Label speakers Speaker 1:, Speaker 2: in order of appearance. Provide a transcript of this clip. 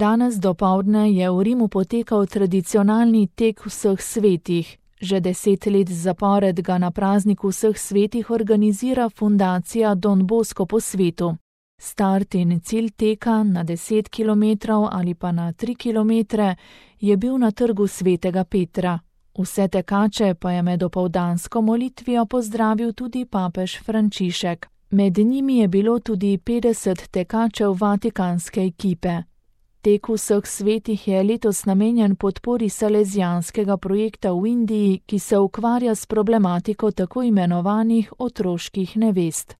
Speaker 1: Danes dopoldne je v Rimu potekal tradicionalni tek vseh svetih. Že 10 let zapored ga na prazniku vseh svetih organizira fundacija Don Bosco po svetu. Start in cilj teka na 10 km ali pa na 3 km je bil na trgu Svetega Petra. Vse tekače pa je med opoldansko molitvijo pozdravil tudi papež Frančišek. Med njimi je bilo tudi 50 tekačev vatikanske ekipe. Tek vseh svetih je letos namenjen podpori salezijanskega projekta v Indiji, ki se ukvarja s problematiko tako imenovanih otroških nevest.